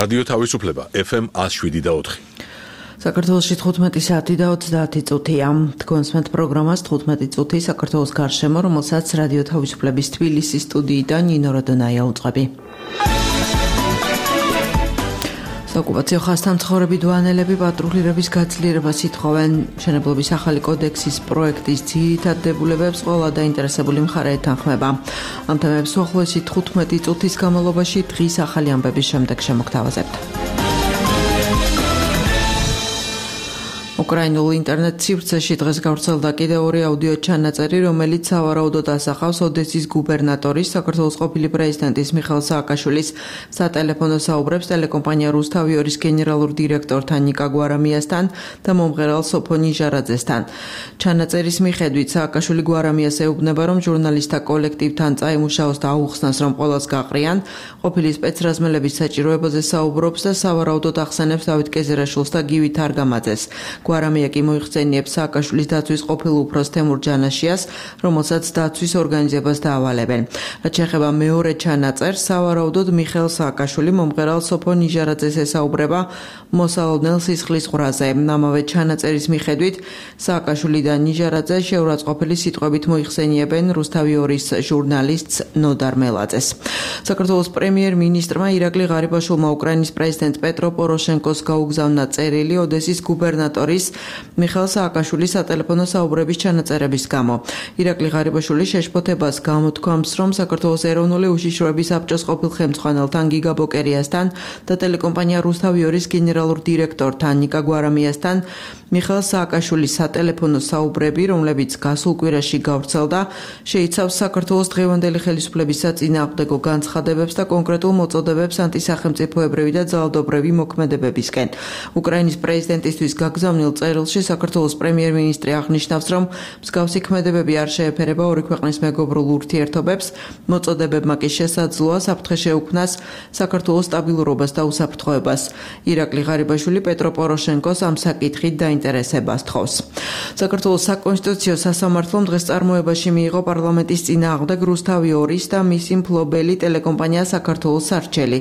რადიო თავისუფლება FM 107.4. საქართველოში 15 საათი და 30 წუთია. თქვენსმენთ პროგრამას 15 წუთი საქართველოს გარშემო, რომელსაც რადიო თავისუფლების თბილისის სტუდიიდან ნინო როდონაია უწყები. საოკუპაციო ხაზთან მცხოვრები დვანელები პატრულირების გაძლიერებას ითხოვენ. მშენებლობის ახალი კოდექსის პროექტის ძირითად დებულებებს ყველა დაინტერესებული მხარე ეთანხმება. ამ თემებს უახლოესი 15 წუთის განმავლობაში დღის ახალი ამბების შემდეგ შემოგთავაზებთ. უკრაინულ ინტერნეტ სივრცეში დღეს გავრცელდა კიდევ ორი აუდიო ჩანაწერი, რომელიც სავარაუდოდ ასახავს ოდესის გუბერნატორის, საქართველოს ყოფილი პრეზიდენტის მიხეილ სააკაშვილის სატელეფონო საუბრებს ტელეკომპანია რუსთავიორის გენერალურ დირექტორთან ნიკა გვარამიასთან და მომღერალ სოფო ნიჟარაძესთან. ჩანაწერის მიხედვით სააკაშვილი გვარამიას ეუბნება, რომ ჟურნალისტთა კოლექტივთან წაიმუშაოს და აუხსნას, რომ ყველას გაყრიან, ყოფილი სპეცრაზმელების საჭიროებაზე საუბრობს და სავარაუდოდ ახსენებს დავით კეზერაშვილს და გივი თარგამაძეს. გვარამია კი მოიხსენიებს სააკაშვილის დაცვის ყოფილ უფროს თემურ ჯანაშიას, რომელსაც დაცვის ორგანიზებას დაავალებენ. რაც შეეხება მეორე ჩანაწერს, სავარაუდოდ მიხეილ სააკაშვილი მომღერალ სოფო ნიჟარაძეს ესაუბრება მოსალოდნელ სისხლის ყვრაზე. ამავე ჩანაწერის მიხედვით სააკაშვილი და ნიჟარაძე შეურაცხყოფილი სიტყვებით მოიხსენიებენ რუსთავიორის ჟურნალისტს ნოდარ მელაძეს. საქართველოს პრემიერ-მინისტრმა ირაკლი ღარიბაშვილმა უკრაინის პრეზიდენტ პეტრო პოროშენკოს გაუგზავნა წერილი ოდესის გუბერნატორის მიხეილ სააკაშვილის სატელეფონო საუბრების ჩანაწერების გამო. ირაკლი ღარიბაშვილი შეშფოთებას გამოთქვამს, რომ საქართველოს ეროვნული უშიშროების საბჭოს ყოფილ ხელმძღვანელთან გიგა ბოკერიასთან და ტელეკომპანია რუსთავიორის გენერალურ დირექტორთან ნიკა გვარამიასთან მიხეილ სააკაშვილის სატელეფონო საუბრები, რომლებიც გასულ კვირაში გავრცელდა, შეიცავს საქართველოს დღევანდელი ხელისუფლების საწინააღმდეგო განცხადებებს და კონკრეტულ მოწოდებებს ანტისახელმწიფოებრივი და ძალადობრივი მოქმედებებისკენ. უკრაინის პრეზიდენტისთვის გაგზავნილ წერილში საქართველოს პრემიერ-მინისტრი აღნიშნავს, რომ მსგავსი ქმედებები არ შეეფერება ორი ქვეყნის მეგობრულ ურთიერთობებს, მოწოდებებმა კი შესაძლოა საფრთხე შეუქმნას საქართველოს სტაბილურობას და უსაფრთხოებას. ირაკლი ღარიბაშვილი პეტრო პოროშენკოს ამ საკითხით დაინტერესებას თხოვს. საქართველოს საკონსტიტუციო სასამართლომ დღეს წარმოებაში მიიღო პარლამენტის წინააღმდეგ რუსთავიორის და მისი მფლობელი ტელეკომპანია საქართველოს სარჩელი.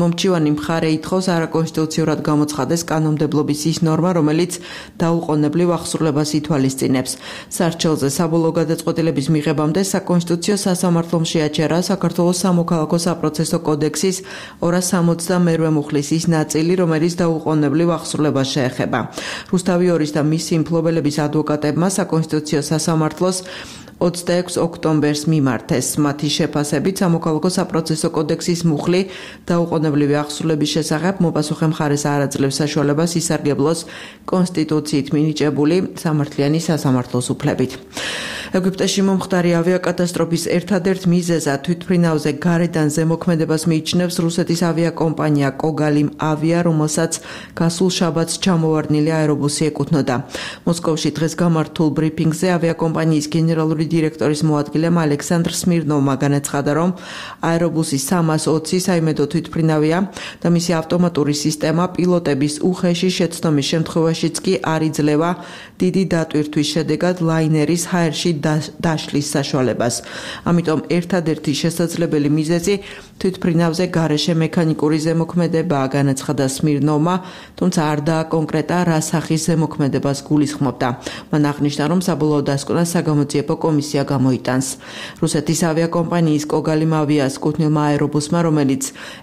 მომჩივანი მხარე ითხოვს არაკონსტიტუციურად გამოცხადეს კანონმდებლობის ის ნორმა, რომელიც დაუყოვნებლივ აღსრულებას ითვალისწინებს. სარჩელზე საბოლოო გადაწყვეტილების მიღებამდე საკონსტიტუციო სასამართლომ შეაჩერა საქართველოს სამოქალაქო საპროცესო კოდექსის 262 მუხლის ის ნაწილი, რომელიც დაუყოვნებლივ აღსრულებას შეეხება. რუსთავიორის და მისი მფლობელების ადვოკატებმა საკონსტიტუციო სასამართლოს 26 ოქტომბერს მიმართეს. მათი შეფასებით სამოქალაქო საპროცესო კოდექსის მუხლი დაუყოვნებლივი აღსრულების შესახებ მოპასუხე მხარეს არ აძლევს საშუალებას ისარგებლოს კონსტიტუციით მინიჭებული სამართლიანი სასამართლოს უფლებით. ეგვიპტეში მომხდარი ავიაკატასტროფის ერთადერთ მიზეზად თვითმფრინავზე გარედან ზემოქმედებას მიიჩნევს რუსეთის ავიაკომპანია კოგალიმ ავია, რომელსაც გასულ შაბათს ჩამოვარდნილი აერობუსი ეკუთვნოდა. მოსკოვში დღეს გამართულ ბრიფინგზე ავიაკომპანიის გენერალური დირექტორის მოადგილემ ალექსანდრ სმირნოვმა განაცხადა, რომ აერობუსი 320 საიმედო თვითმფრინავია და მისი ავტომატური სისტემა პილოტების უხეში შეცდომის შემთხვევაშიც კი არ იძლევა დიდი დატვირთვის შედეგად ლაინერის ჰაერში დაშლის საშუალებას. ამიტომ ერთადერთი შესაძლებელი მიზეზი თვითმფრინავზე გარეშე მექანიკური ზემოქმედებაა, განაცხადა სმირნოვმა, თუმცა არ დააკონკრეტა რა სახის ზემოქმედებას გულისხმობდა. მან აღნიშნა, რომ საბოლოო დასკვნას საგამოძიებო კომისია გამოიტანს. რუსეთის ავიაკომპანიის კოგალიმ ავიას კუთვნილმა აერობუსმა, რომელიც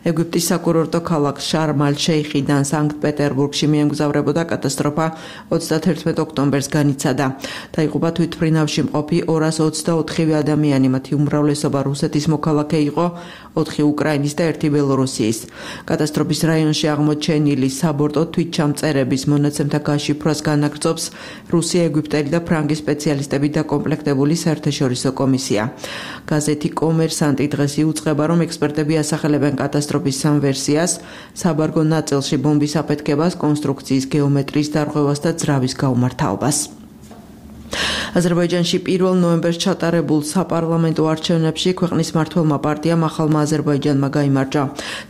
ეგვიპტის საკურორტო ქალაქ შარმ-ალ-შეიხიდან სანქტ-პეტერბურგში მიემგზავრებოდა, კატასტროფა 31 ოქტომბერს განიცადა. დაიღუპა თვითმფრინავში მყოფი 224 ადამიანი, მათი უმრავლესობა რუსეთის მოქალაქე იყო, 4 უკრაინის და 1 ბელორუსიის. კატასტროფის რაიონში აღმოჩენილი საბორტო თვითჩამწერების მონაცემთა გაშიფრვას განაგრძობს რუსია, ეგვიპტელი და ფრანგი სპეციალისტები დაკომპლექტებული საერთაშორისო კომისია. გაზეთი კომერსანტი დღეს იუწყება, რომ ექსპერტები ასახელებენ კატასტროფის სამ ვერსიას: საბარგო ნაწილში ბომბის აფეთქებას, კონსტრუქციის გეომეტრიის დარღვევას და ძრავის გაუმართავობას. აზერბაიჯანში 1 ნოემბერს ჩატარებულ საპარლამენტო არჩევნებში ქვეყნის მმართველმა პარტიამ ახალმა აზერბაიჯანმა გაიმარჯვა.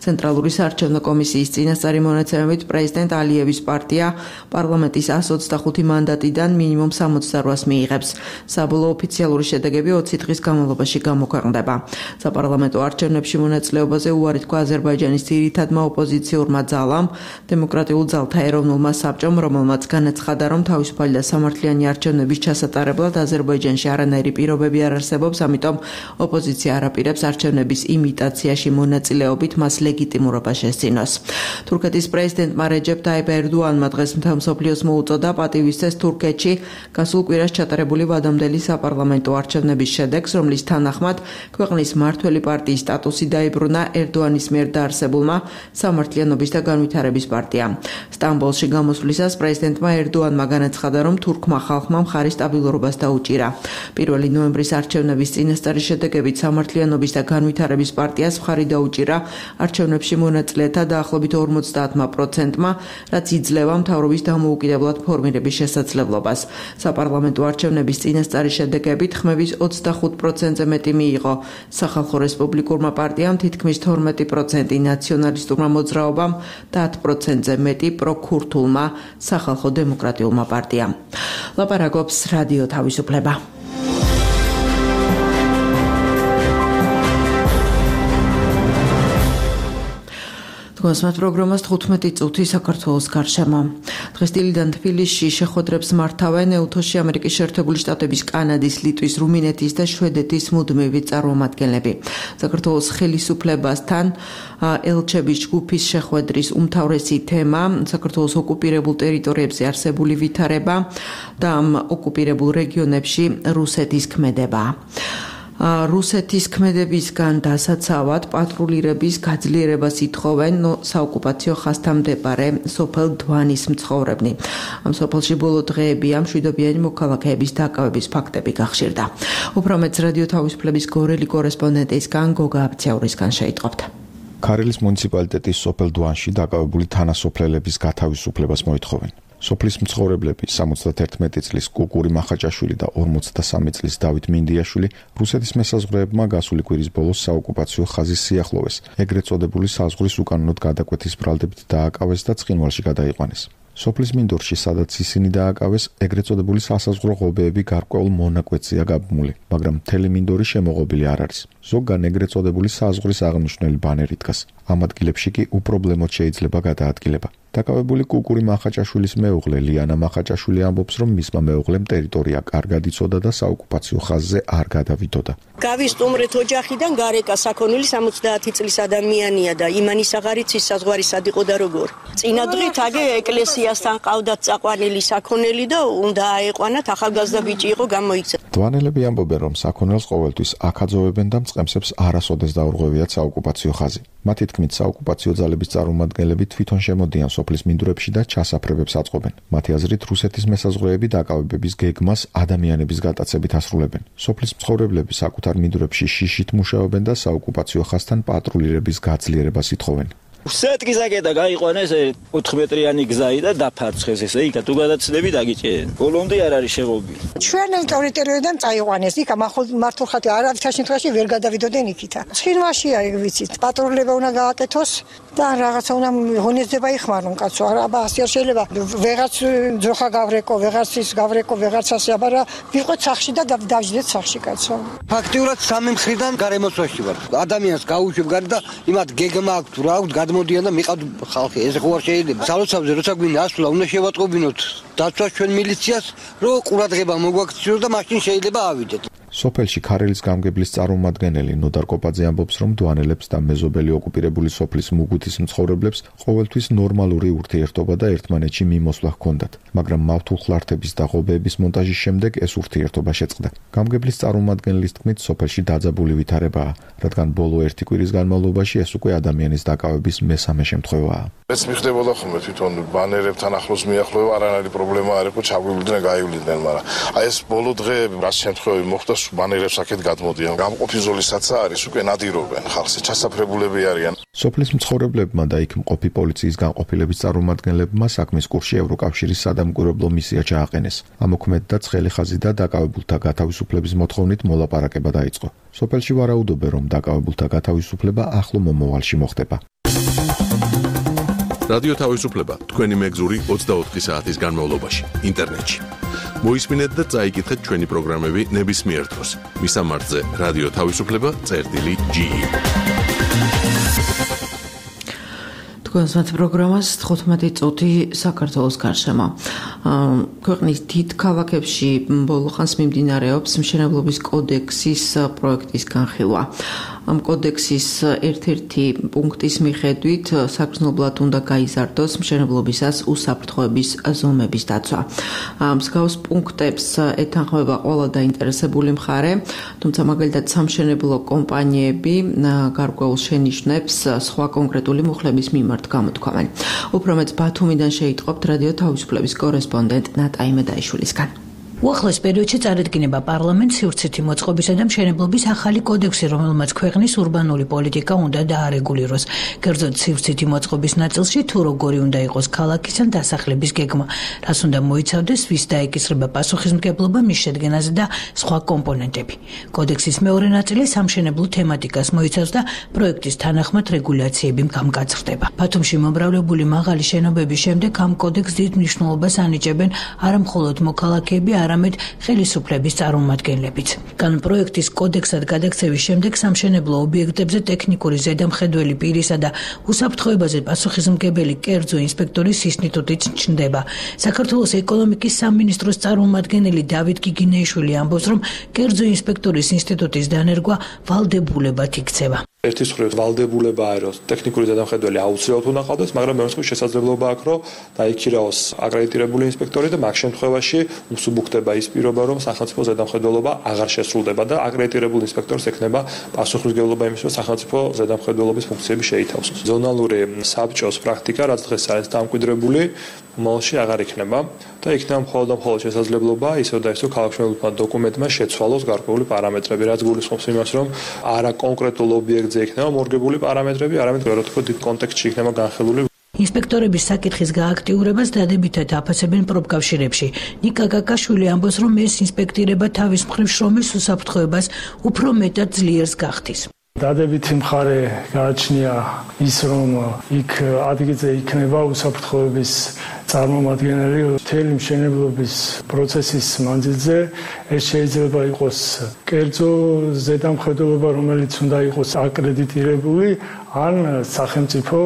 ცენტრალური საარჩევნო კომისიის წინასწარი მონაცემებით პრეზიდენტ ალიევის პარტია პარლამენტის 125 მანდატიდან მინიმუმ 68-ს მიიღებს. საბოლოო ოფიციალური შედეგები 20 დღის განმავლობაში გამოქვეყნდება. საპარლამენტო არჩევნებში მონაწილეობაზე უარი თქვა აზერბაიჯანის ძირითადმა ოპოზიციურმა ძალამ, დემოკრატიულ ძალთა ეროვნულმა საბჭომ, რომელმაც განაცხადა, რომ თავისუფალი და სამართლიანი არჩევნების ჩასატარებლად აზერბაიჯანში არანაირი პირობები არ არსებობს, ამიტომ ოპოზიცია არ აპირებს არჩევნების იმიტაციაში მონაწილეობით მას ლეგიტიმურობა შესძინოს. თურქეთის პრეზიდენტმა რეჯეპ ტაიპ ერდოანმა დღეს მთელ მსოფლიოს მოუწოდა პატივისცეს თურქეთში გასულ კვირას ჩატარებული ვადამდელი საპარლამენტო არჩევნების შედეგს, რომლის თანახმად ქვეყნის მმართველი პარტიის სტატუსი დაიბრუნა ერდოანის მიერ დაარსებულმა სამართლიანობის და განვითარების პარტიამ. სტამბოლში გამოსვლისას პრეზიდენტმა ერდოანმა განაცხადა, რომ თურქმა ხალხმა მხარი სტაბილურობას დაუჭირა. 1 ნოემბრის არჩევნების წინასწარი შედეგებით სამართლიანობის და განვითარების პარტიას მხარი დაუჭირა არჩევნებში მონაწილეთა დაახლოებით 50%-მა, რაც იძლევა მთავრობის დამოუკიდებლად ფორმირების შესაძლებლობას. საპარლამენტო არჩევნების წინასწარი შედეგებით ხმების 25%-ზე მეტი მიიღო სახალხო რესპუბლიკურმა პარტიამ, თითქმის 12% ნაციონალისტურმა მოძრაობამ და 10%-ზე მეტი პროქურთულმა სახალხო დემოკრატიულმა პარტიამ. ლაპარაკობს რადიო თავისუფლება. თქვენს პროგრამას 15 წუთი საქართველოს გარშემო. დღეს დილიდან თბილისში შეხვედრებს მართავენ ეუთოში ამერიკის შეერთებული შტატების, კანადის, ლიტვის, რუმინეთის და შვედეთის მუდმივი წარმომადგენლები. საქართველოს ხელისუფლებასთან ელჩების ჯგუფის შეხვედრის უმთავრესი თემა საქართველოს ოკუპირებულ ტერიტორიებზე არსებული ვითარება და ამ ოკუპირებულ რეგიონებში რუსეთის ქმედება. რუსეთის ქმედებისგან დასაცავად პატრულირების გაძლიერებას ითხოვენ საოკუპაციო ხაზთან მდებარე სოფელ დვანის მცხოვრებნი. ამ სოფელში ბოლო დღეებია მშვიდობიანი მოქალაქეების დაკავების ფაქტები გახშირდა. უფრო მეტს რადიო თავისუფლების გორელი კორესპონდენტისგან გოგა აბციაურისგან შეიტყობთ. ქარელის მუნიციპალიტეტის სოფელ დვანში დაკავებული თანასოფლელების გათავისუფლებას მოითხოვენ. სოფლის მცხოვრებლები 71 წლის კუკური მახაჭაშვილი და 43 წლის დავით მინდიაშვილი რუსეთის მესაზღვრეებმა გასული კვირის ბოლოს საოკუპაციო ხაზის სიახლოვეს, ეგრეთ წოდებული საზღვრის უკანონოდ გადაკვეთის ბრალდებით დააკავეს და ცხინვალში გადაიყვანეს. სოფლის მინდორში, სადაც ისინი დააკავეს, ეგრეთ წოდებული სასაზღვრო ღობეები გარკვეულ მონაკვეთზეა გაბმული, მაგრამ მთელი მინდორი შემოღობილი არ არის. ზოგან ეგრეთ წოდებული საზღვრის აღნიშნული ბანერი დგას. ამ ადგილებში კი უპრობლემოდ შეიძლება გადაადგილება. დაკავებული კუკური მახაჭაშვილის მეუღლე ლიანა მახაჭაშვილი ამბობს, რომ მისმა მეუღლემ ტერიტორია კარგად იცოდა და საოკუპაციო ხაზზე არ გადავიდოდა. გავისტუმრეთ ოჯახიდან გარეკა საქონელი 70 წლის ადამიანია და იმანის აღარ იცის საზღვარისად იყო და როგორ. წინა დღით აგე ეკლესიასთან ყავდათ წაყვანილი საქონელი და უნდა აეყვანათ, ახალგაზრდა ბიჭი იყო გამოიქცა. დვანელები ამბობენ, რომ საქონელს ყოველთვის აქაძოვებენ და მწყემსებს არასოდეს დაურღვევიათ საოკუპაციო ხაზი. მათი თქმით, საოკუპაციო ძალების წარმომადგენლები თვითონ შემოდიან სოფლის მინდვრებში და ჩასაფრებებს აწყობენ. მათი აზრით, რუსეთის მესაზღვრეები დაკავებების გეგმას ადამიანების გატაცებით ასრულებენ. სოფლის მცხოვრებლები საკუთარ მინდვრებში შიშით მუშაობენ და საოკუპაციო ხაზთან პატრულირების გაძლიერებას ითხოვენ. სეტკიზაკედა გაიყვანეს 4 მეტრიანი გზაი და დაფარცხეს ესე იქა თუ გადაცდები დაგიჭერენ. ბოლომდე არ არის შეღობილი. ჩვენ ტერიტორიიდან წაიყვანეს იქა მართულ ხათი არავითარ შემთხვევაში ვერ გადავიდოდნენ იქითა. ცხინვალშია ეგ ვიცით. პატრულება უნდა გააკეთოს და რაღაცა უნდა ღონისძიება იხმარონ კაცო. აბა ასე არ შეიძლება ვეღაც ძროხა გავრეკო, ვეღაცის გავრეკო, ვეღაც ასე აბა ვიყოთ სახში და დავждეთ სახში კაცო. ფაქტიურად სამი მხრიდან გარემოცვაში ვარ. ადამიანს გაუშვებ გარი და იმათ გეგმა აქვს თუ რა აქვს გადმოდიან და მიყავთ ხალხი. ეს ხო არ შეიძლება. სალოცავზე როცა გვინდა ასვლა უნდა შევატყობინოთ დაცვას ჩვენ მილიციას, რომ ყურადღება მოგვაქციოს და მაშინ შეიძლება ავიდეთ. სოფელში ქარელის გამგებლის წარმომადგენელი ნოდარ კოპაძე ამბობს, რომ დვანელებს და მეზობელი ოკუპირებული სოფლის მუგუთის მცხოვრებლებს ყოველთვის ნორმალური ურთიერთობა და ერთმანეთში მიმოსვლა ჰქონდათ, მაგრამ მავთულხლართების და ღობეების მონტაჟის შემდეგ ეს ურთიერთობა შეწყდა. გამგებლის წარმომადგენლის თქმით, სოფელში დაძაბული ვითარებაა, რადგან ბოლო 1 კვირის განმავლობაში ეს უკვე ადამიანის დაკავების მესამე შემთხვევაა. ეს მიხდებოდა ხოლმე თვითონ ბანერებთან ახლოს მიახლოება, არანაირი პრობლემა არ იყო, ჩაგვივლდნენ, გაივლიდნენ, მაგრამ აი ეს ბოლო დღეები რაც შემთხვევები მოხდა, ბანერებს აქეთ გადმოდიან. გამყოფი ზოლისაცაა არის, უკვე ნადირობენ ხალხს, ჩასაფრებულები არიან. სოფლის მცხოვრებლებმა და იქ მყოფი პოლიციის განყოფილების წარმომადგენლებმა საქმის კურსში ევროკავშირის სადამკვირვებლო მისია ჩააყენეს. ამოქმედდა ცხელი ხაზი და დაკავებულთა გათავისუფლების მოთხოვნით მოლაპარაკება დაიწყო. სოფელში ვარაუდობენ, რომ დაკავებულთა გათავისუფლება ახლო მომავალში მოხდება. რადიო თავისუფლება თქვენი მეგზური 24 საათის განმავლობაში ინტერნეტში. მოისმინეთ და წაიკითხეთ ჩვენი პროგრამები ნებისმიერ დროს. მისამართზე რადიო თავისუფლება.ge. თქვენს პროგრამას 15 წუთი საქართველოს გარშემო. ქვეყნის დიდ ქალაქებში ბოლო ხანს მიმდინარეობს მშენებლობის კოდექსის პროექტის განხილვა. ამ კოდექსის ერთ-ერთი პუნქტის მიხედვით საგრძნობლად უნდა გაიზარდოს მშენებლობისას უსაფრთხოების ზომების დაცვა. მსგავს პუნქტებს ეთანხმება ყველა დაინტერესებული მხარე, თუმცა მაგალითად სამშენებლო კომპანიები გარკვეულ შენიშვნებს სხვა კონკრეტული მუხლების მიმართ გამოთქვამენ. უფრო მეტ ბათუმიდან შეიტყობთ რადიო თავისუფლების კორესპონდენტ ნატა იმედაიშვილისგან. უახლოეს პერიოდში წარადგინება პარლამენტს სივრცითი მოწყობისა და მშენებლობის ახალი კოდექსი, რომელმაც ქვეყნის ურბანული პოლიტიკა უნდა დაარეგულიროს. კერძოდ სივრცითი მოწყობის ნაწილში თუ როგორი უნდა იყოს ქალაქის ან დასახლების გეგმა, რას უნდა მოიცავდეს, ვის დაეკისრება პასუხისმგებლობა მის შედგენაზე და სხვა კომპონენტები. კოდექსის მეორე ნაწილი სამშენებლო თემატიკას მოიცავს და პროექტის თანახმად რეგულაციები გამკაცრდება. ბათუმში მომრავლებული მაღალი შენობების შემდეგ ამ კოდექსს დიდ მნიშვნელობას ანიჭებენ არა მხოლოდ მოქალაქეები, არამედ ხელისუფლების წარმომადგენლებიც. კანონპროექტის კოდექსად გადაქცევის შემდეგ სამშენებლო ობიექტებზე ტექნიკური ზედამხედველი პირისა და უსაფრთხოებაზე პასუხისმგებელი კერძო ინსპექტორის ინსტიტუტიც ჩნდება. საქართველოს ეკონომიკის სამინისტროს წარმომადგენელი დავით გიგინეიშვილი ამბობს, რომ კერძო ინსპექტორის ინსტიტუტის დანერგვა ვალდებულებად იქცევა. ერთის მხრივ ვალდებულებაა, რომ ტექნიკური ზედამხედველი აუცილებლად უნდა ყავდეს, მაგრამ მეორე მხრივ შესაძლებლობა აქვს, რომ დაიქირაოს აკრედიტირებული ინსპექტორი და მაგ შემთხვევაში უსუბუქდება ის პირობა, რომ სახელმწიფო ზედამხედველობა აღარ შესრულდება და აკრედიტირებულ ინსპექტორს ექნება პასუხისმგებლობა იმის, რომ სახელმწიფო ზედამხედველობის ფუნქციები შეითავსოს. ზონალური საბჭოს პრაქტიკა, რაც დღეს არის დამკვიდრებული, მომავალში აღარ იქნება და იქნება მხოლოდ შესაძლებლობა ისევ და ისევ ქალაქმშენებლობასთან დოკუმენტმა შეცვალოს გარკვეული პარამეტრები, რაც გულისხმობს იმას, რომ არა კონკრეტულ ობიექტზე იქნება მორგებული პარამეტრები, არამედ ვეროთქო დიდ კონტექსტში იქნება განხილული. ინსპექტორების საკითხის გააქტიურებას დადებითად აფასებენ პროფკავშირებში. ნიკა გაკაშვილი ამბობს, რომ ეს ინსპექტირება თავის მხრივ შრომის უსაფრთხოებას უფრო მეტად ძლიერს გახდის. დადებითი მხარე გააჩნია ის, რომ იქ ადგილზე იქნება უსაფრთხოების წარმომადგენელი მთელი მშენებლობის პროცესის მანძილზე. ეს შეიძლება იყოს კერძო ზედამხედველობა, რომელიც უნდა იყოს აკრედიტირებული, ან სახელმწიფო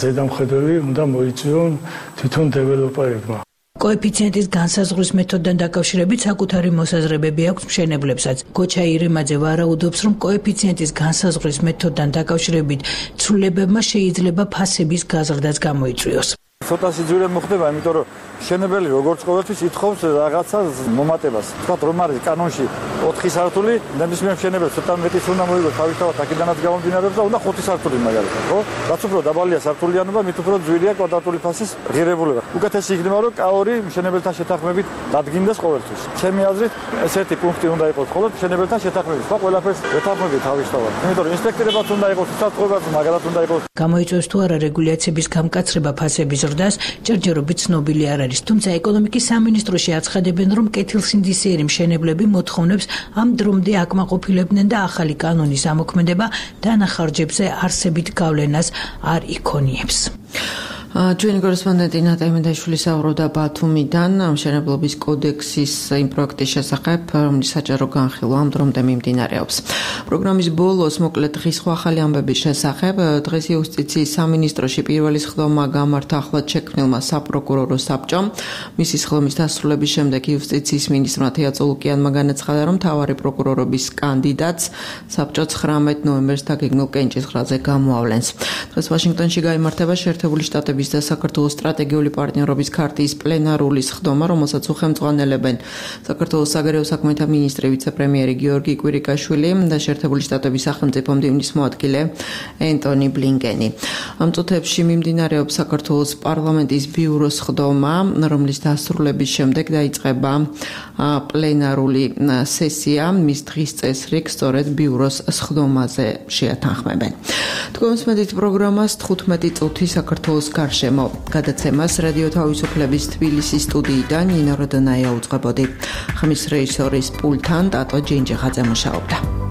ზედამხედველი უნდა მოიწვიონ თვითონ დეველოპერებმა. კოეფიციენტის განსაზღვრის მეთოდთან დაკავშირებით საკუთარი მოსაზრებები აქვს მშენებლებსაც. გოჩა ირემაძე ვარაუდობს, რომ კოეფიციენტის განსაზღვრის მეთოდთან დაკავშირებით ცვლილებებმა შეიძლება ფასების გაზრდაც გამოიწვიოს. ცოტა სიძვირე მოხდება, იმიტომ რომ მშენებელი როგორც ყოველთვის ითხოვს რაღაცა მომატებას. თქვა რომ არის კანონში 4 სართული, ნებისმიერ მშენებელს ცოტა მეტის უნდა მოიგოს თავისთავად აქედანაც გამომდინარეობს და უნდა 5 სართული მაგალითად, ხო? რაც უფრო დაბალია სართულიანობა, მით უფრო ძვირია კვადრატული ფასის ღირებულება. უკეთესი იქნება, რომ კაორი მშენებელთან შეთანხმებით დადგინდეს ყოველთვის. ჩემი აზრით, ესეთი პუნქტი უნდა იყოს მხოლოდ მშენებელთან შეთანხმებით. სხვა ყველაფერს ეთანხმებით თავისთავად. იმიტომ რომ ინსპექტირებაც უნდა იყოს, უსაფრთხოებაც მაგალითად უნდა იყოს. გამოიწვევს თუ არა რეგულაციების გამკაცრება ფასების ზრდას, ჯერჯერობით ცნობილი არ არის, თუმცა ეკონომიკის სამინისტროში აცხადებენ, რომ კეთილსინდისიერი მშენებლები მოთხოვნებს ამ დრომდე აკმაყოფილებდნენ და ახალი კანონის ამოქმედება დანახარჯებზე არსებით გავლენას არ იქონიებს. ჩვენი კორესპონდენტი ნატა იმედაიშვილი საუბრობდა ბათუმიდან მშენებლობის კოდექსის იმ პროექტის შესახებ, რომლის საჯარო განხილვა ამ დრომდე მიმდინარეობს. პროგრამის ბოლოს მოკლედ დღის სხვა ახალი ამბების შესახებ დღეს იუსტიციის სამინისტროში პირველი სხდომა გამართა ახლად შექმნილმა საპროკურორო საბჭომ. მისი სხდომის დასრულების შემდეგ იუსტიციის მინისტრმა თეა წულუკიანმა განაცხადა, რომ მთავარი პროკურორობის კანდიდატს საბჭო 19 ნოემბერს დაგეგმილ კენჭისყრაზე გამოავლენს. დღეს ვაშინგტონში გაიმართება შეერთებული შტატების მართლობის და საქართველოს სტრატეგიული პარტნიორობის ქარტიის პლენარული სხდომა, რომელსაც უხელმძღვანელებენ საქართველოს საგარეო საქმეთა მინისტრი ვიცე-პრემიერი გიორგი კვირიკაშვილი და შეერთებული შტატების სახელმწიფო მდივნის მოადგილე ენტონი ბლინკენი. ამ წუთებში მიმდინარეობს საქართველოს პარლამენტის ბიუროს სხდომა, რომლის დასრულების შემდეგ დაიწყება პლენარული სესია, მის დღის წესრიგს სწორედ ბიუროს სხდომაზე შეათანხმებენ. თქვენს მედით პროგრამას 15 წუთი საქართველოს გარშემო გადაცემას რადიო თავისუფლების თბილისის სტუდიიდან ნინო როდონაია უძღვებოდი. ხმის რეჟისორის პულტთან ტატო ჯინჯიხაძე მუშაობდა.